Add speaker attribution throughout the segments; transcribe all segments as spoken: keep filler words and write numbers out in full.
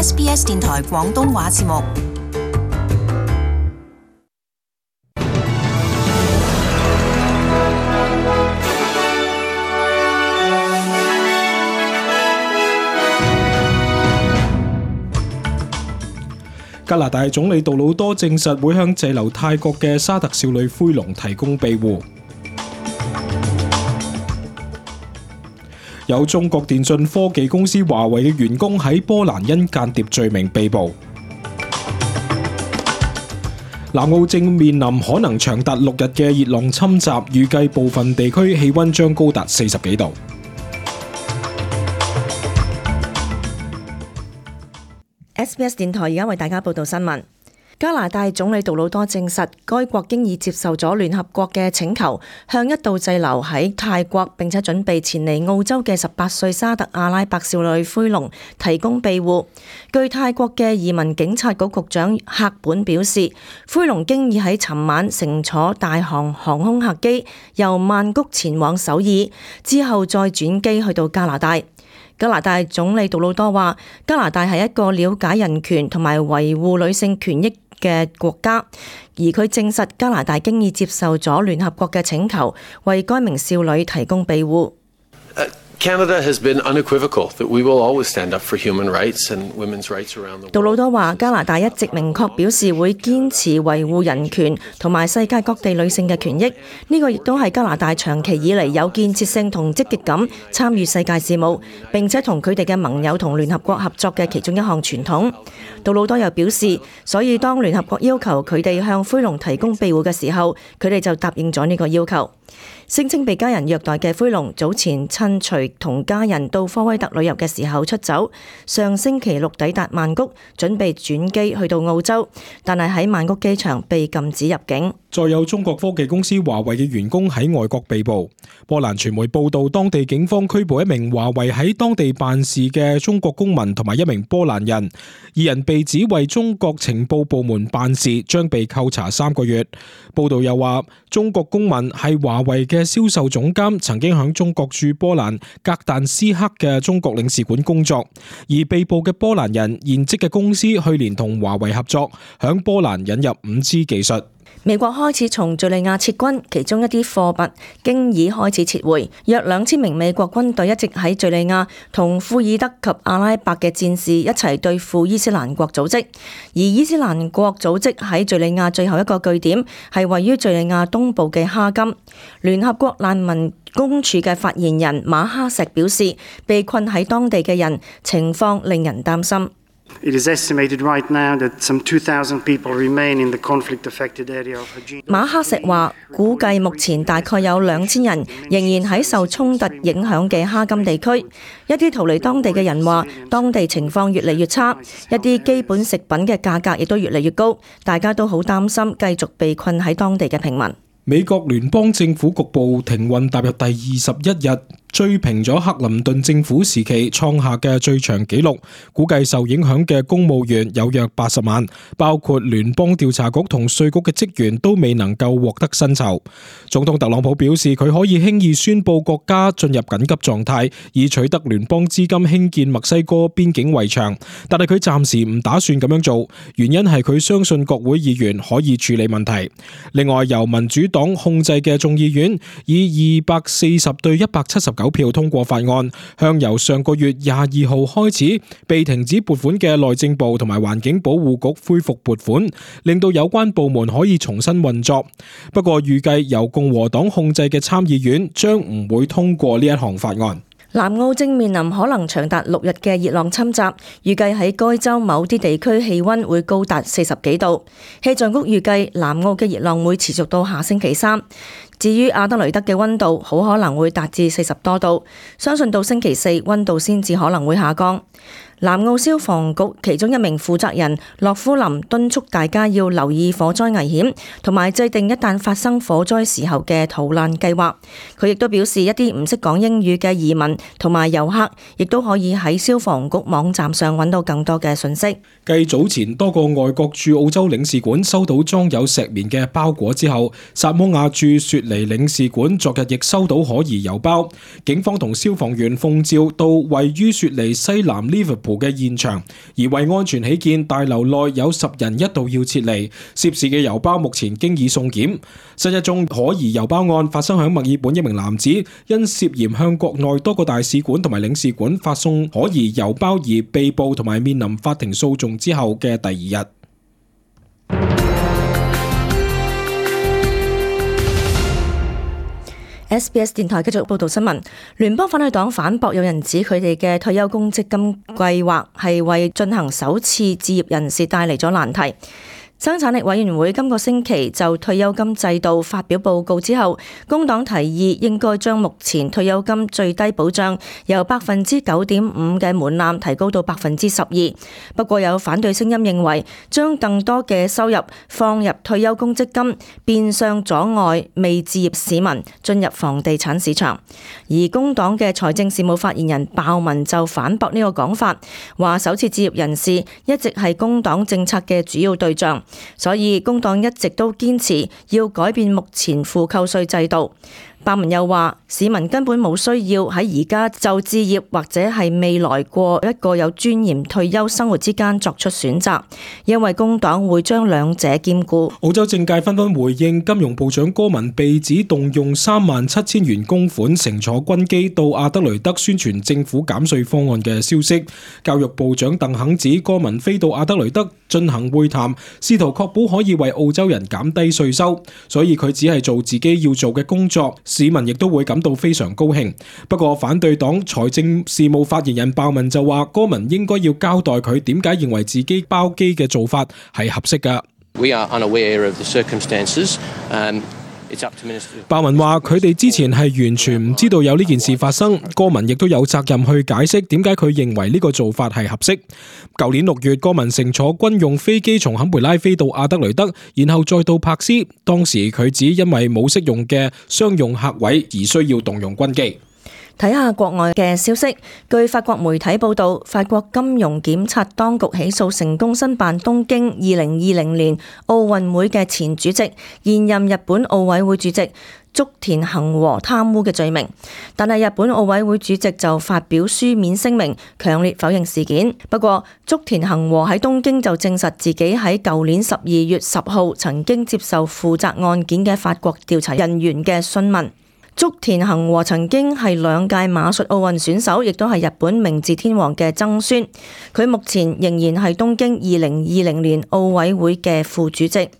Speaker 1: S B S 電台廣東話節目。
Speaker 2: 加拿大總理杜魯多證實會向滯留泰國嘅沙特少女灰龍提供庇護。有中國電信科技公司華為嘅員工喺波蘭因間諜罪名被捕。南澳正面臨可能長達六日嘅熱浪侵襲，預計部分地區氣溫將高達四十幾度。
Speaker 3: S B S 電台而家為大家報道新聞。加拿大總理杜魯多證實，該國經已接受咗聯合國嘅請求，向一度滯留喺泰國並且準備前嚟澳洲嘅十八歲沙特阿拉伯少女灰龍提供庇護。據泰國嘅移民警察局局長赫本表示，灰龍經已喺尋晚乘坐大韓航空客機由曼谷前往首爾，之後再轉機去到加拿大。加拿大總理杜魯多話，加拿大係一個了解人權同埋維護女性權益嘅國家，而佢證實加拿大經已接受咗聯合國嘅請求，為該名少女提供庇護。
Speaker 4: Canada has been unequivocal that we will always stand up for human rights and women's rights around the world.
Speaker 3: 杜魯多話，加拿大一直明確表示會堅持維護人權同埋世界各地女性嘅權益，呢個亦都係加拿大長期以嚟有建設性同積極咁參與世界事務，並且同佢哋嘅盟友同聯合國合作嘅其中一項傳統。杜魯多又表示，所以當聯合國要求佢哋向灰龍提供庇護嘅時候，佢哋就答應咗呢個要求。聲稱被家人虐待嘅灰龍早前趁隨同家人到科威特旅遊嘅時候出走，上星期六抵達曼谷，準備轉機去到澳洲，但係喺曼谷機場被禁止入境。
Speaker 2: 再有中國科技公司華為嘅員工喺外國被捕。波蘭傳媒報道，當地警方拘捕一名華為喺當地辦事嘅中國公民同埋一名波蘭人，二人被指為中國情報部門辦事，將被扣查三個月。報道又話，中國公民係華為嘅銷售總監，曾經響中國駐波蘭格但斯克嘅中國領事館工作，而被捕嘅波蘭人現職嘅公司去年同華為合作，響波蘭引入五 G 技術。
Speaker 3: 美國開始從敘利亞撤軍，其中一啲貨物經已開始撤回。約兩千名美國軍隊一直喺敘利亞同庫爾德及阿拉伯嘅戰士一齊對付伊斯蘭國組織，而伊斯蘭國組織喺敘利亞最後一個據點係位於敘利亞東部嘅哈金。聯合國難民公署嘅發言人馬哈石表示，被困喺當地嘅人情況令人擔心。
Speaker 5: It is estimated right now that some two thousand people remain in the conflict-affected area of Hajin.
Speaker 3: 馬克石話，估計目前大概有兩千人仍然喺受衝突影響嘅哈金地區。一啲逃離當地嘅人話，當地情況越嚟越差，一啲基本食品嘅價格亦都越嚟越高，大家都好擔心繼續被困喺當地嘅平民。
Speaker 2: 美國聯邦政府局部停運踏入第二十一日，追平咗克林頓政府時期創下嘅最長紀錄，估計受影響嘅公務員有約八十萬，包括聯邦調查局同稅局嘅職員都未能夠獲得薪酬。總統特朗普表示，佢可以輕易宣布國家進入緊急狀態，以取得聯邦資金興建墨西哥邊境圍牆，但係佢暫時唔打算咁樣做，原因係佢相信國會議員可以處理問題。另外，由民主黨控制嘅眾議院以二百四十對一百七十九票通過法案，向由上個月廿二號開始被停止撥款嘅內政部同埋環境保護局恢復撥款，令到有關部門可以重新運作。不過預計由共和黨控制嘅參議院將唔會通過呢一項法案。
Speaker 3: 南澳正面臨可能長達六日嘅熱浪侵襲，預計喺該州某啲地區氣溫會高達四十幾度。氣象局預計南澳嘅熱浪會持續到下星期三。至於阿德雷德嘅溫度好可能會達至四十多度，相信到星期四溫度先至可能會下降。南澳消防局其中一名負責人洛夫林敦促大家要留意火災危險，同埋制定一旦發生火災時候嘅逃難計劃。佢亦都表示，一啲唔識講英語嘅移民同埋遊客，亦都可以喺消防局網站上揾到更多嘅信息。
Speaker 2: 繼早前多個外國駐澳洲領事館收到裝有石棉嘅包裹之後，薩摩亞駐雪梨領事館昨日亦收到可疑郵包。警方同消防員奉召到位於雪梨西南 Liverpool 浦嘅現場，而為安全起見，大樓內有十人一度要撤離。涉事嘅郵包目前經已送檢。新一宗可疑郵包案發生喺墨爾本，一名男子因涉嫌向國內多個大使館同埋領事館發送可疑郵包而被捕同埋面臨法庭訴訟之後嘅第二日。
Speaker 3: S B S 電台繼續報道新聞。聯邦反對黨反駁有人指佢哋嘅退休公積金計劃係為進行首次置業人士帶嚟咗難題。生產力委員會今個星期就退休金制度發表報告之後，工黨提議應該將目前退休金最低保障由百分之九點五嘅門檻提高到百分之十二。不過有反對聲音認為，將更多嘅收入放入退休公積金，變相阻礙未置業市民進入房地產市場。而工黨嘅財政事務發言人鮑文就反駁呢個講法，話首次置業人士一直係工黨政策嘅主要對象。所以工黨一直都堅持要改變目前負扣稅制度。鮑文又話，市民根本冇需要喺而家就置業或者係未來過一個有尊嚴退休生活之間作出選擇，因為工黨會將兩者兼顧。
Speaker 2: 澳洲政界紛紛回應金融部長戈文被指動用三萬七千元公款乘坐軍機到阿德雷德宣傳政府減稅方案嘅消息。教育部長鄧肯指戈文飛到阿德雷德進行會談，試圖確保可以為澳洲人減低稅收，所以佢只係做自己要做嘅工作。市民亦都會感到非常高興。不過反對黨財政事務發言人鮑文就話，戈文應該要交代佢點解認為自己包機嘅做法係合適㗎。
Speaker 6: We are unaware of the circumstances. Um,
Speaker 2: 鮑文話：佢哋之前係完全唔知道有呢件事發生，戈文亦都有責任去解釋點解佢認為呢個做法係合適。舊年六月，戈文乘坐軍用飛機從坎培拉飛到阿德雷德，然後再到柏斯。當時佢只因為冇適用嘅商用客位而需要動用軍機。
Speaker 3: 睇下國外嘅消息，據法國媒體報道，法國金融檢察當局起訴成功申辦東京二零二零年奧運會嘅前主席、現任日本奧委會主席竹田恒和貪污嘅罪名，但係日本奧委會主席就發表書面聲明，強烈否認事件。不過，竹田恒和喺東京就證實自己喺舊年十二月十號曾經接受負責案件嘅法國調查人員嘅詢問。竹田恒和曾經係兩屆馬術奧運選手，亦都係日本明治天皇嘅曾孫。佢目前仍然係東京二零二零年奧委會嘅副主席。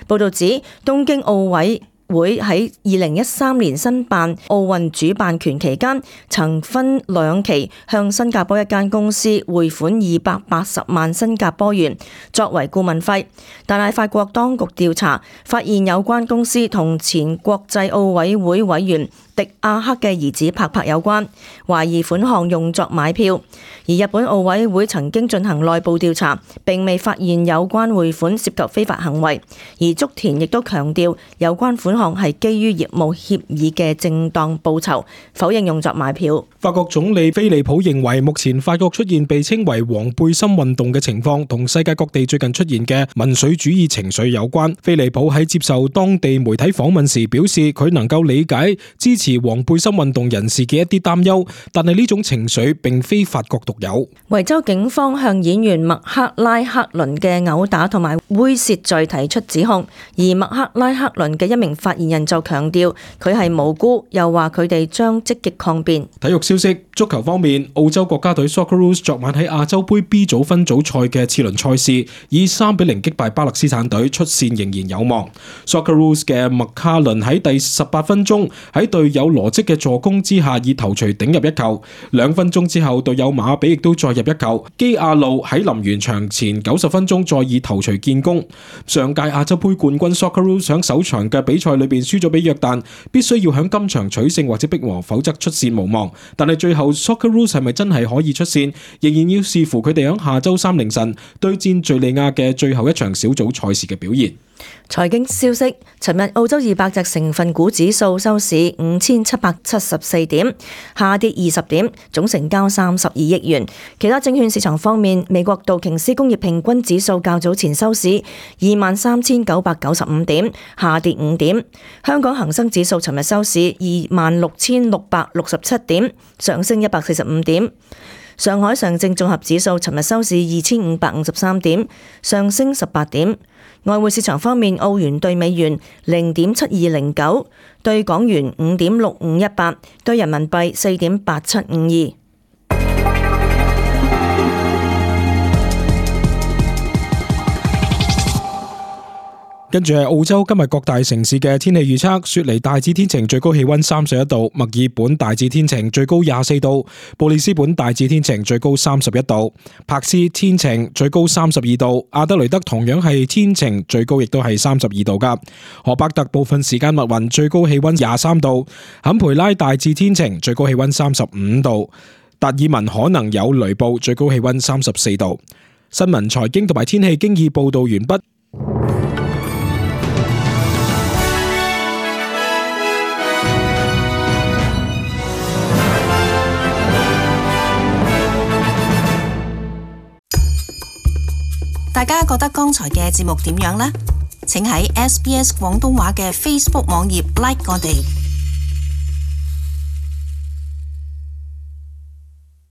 Speaker 3: 報道指，東京奧委會喺二零一三年申辦奧運主辦權期間，曾分兩期向新加坡一間公司匯款二百八十萬新加坡元作為顧問費，但係法國當局調查發現有關公司同前國際奧委會委員迪亞克嘅兒子帕帕有關，懷疑款項用作買票。而日本奧委會曾經進行內部調查，並未發現有關匯款涉及非法行為。而竹田亦都強調有關款項係基於業務協議嘅正當報酬，否認用作買票。
Speaker 2: 法國總理菲利普認為，目前法國出現被稱為黃背心運動嘅情況，同世界各地最近出現嘅民粹主義情緒有關。菲利普喺接受當地媒體訪問時表示，佢能夠理解支持黃背心運動人士嘅一啲擔憂，但係呢種情緒並非法國獨有。
Speaker 3: 維州警方向演員麥克拉克倫嘅毆打同埋猥褻罪提出指控，而麥克拉克倫嘅一名發言人就強調佢係無辜，又話佢哋將積極抗辯。
Speaker 2: 體育消息，足球方面，澳洲國家隊 Socceroos 昨晚喺亞洲盃 B 組分組賽嘅次輪賽事，以三比零擊敗巴勒斯坦隊，出線仍然有望。Socceroos 嘅麥卡倫喺第十八分鐘喺隊友羅積嘅助攻之下，以頭槌頂入一球。兩分鐘之後，隊友馬比亦都再入一球。基亞路喺臨完場前九十分鐘再以頭槌建功。上屆亞洲盃冠軍 Socceroos 喺首場嘅比賽裏邊輸咗俾約旦，必須要喺今場取勝或者逼和，否則出線無望。但係最後 Socceroos 係咪真係可以出線，仍然要視乎佢哋喺下周三凌晨對戰敘利亞嘅最後一場小組賽事嘅表現。
Speaker 3: 財經消息，尋日澳洲二百隻成分股指數收市五千七百七十四點，下跌二十點，總成交三十二億元。其他證券市場方面，美國道瓊斯工業平均指數較早前收市二萬三千九百九十五點，下跌五點。香港恒生指數尋日收市二萬六千六百六十七點，上升一百四十五點。上海上證綜合指數尋日收市二千五百五十三點，上升十八點。外匯市場方面，澳元對美元零點七二零九，對港元五點六五一八，對人民幣四點八七五二。
Speaker 2: 跟住係澳洲今日各大城市嘅天氣預測：雪梨大致天晴，最高氣溫三十一度；墨爾本大致天晴，最高廿四度；布里斯本大致天晴，最高三十一度；柏斯天晴，最高三十二度；阿德雷德同樣係天晴，最高亦都係三十二度噶；荷伯特部分時間密雲，最高氣溫廿三度；坎培拉大致天晴，最高氣溫三十五度；達爾文可能有雷暴，最高氣溫三十四度。新聞、財經同埋天氣經已報道完畢。
Speaker 1: 大家覺得剛才嘅節目點樣呢？請喺 S B S 廣東話嘅 Facebook 網頁 like 我哋。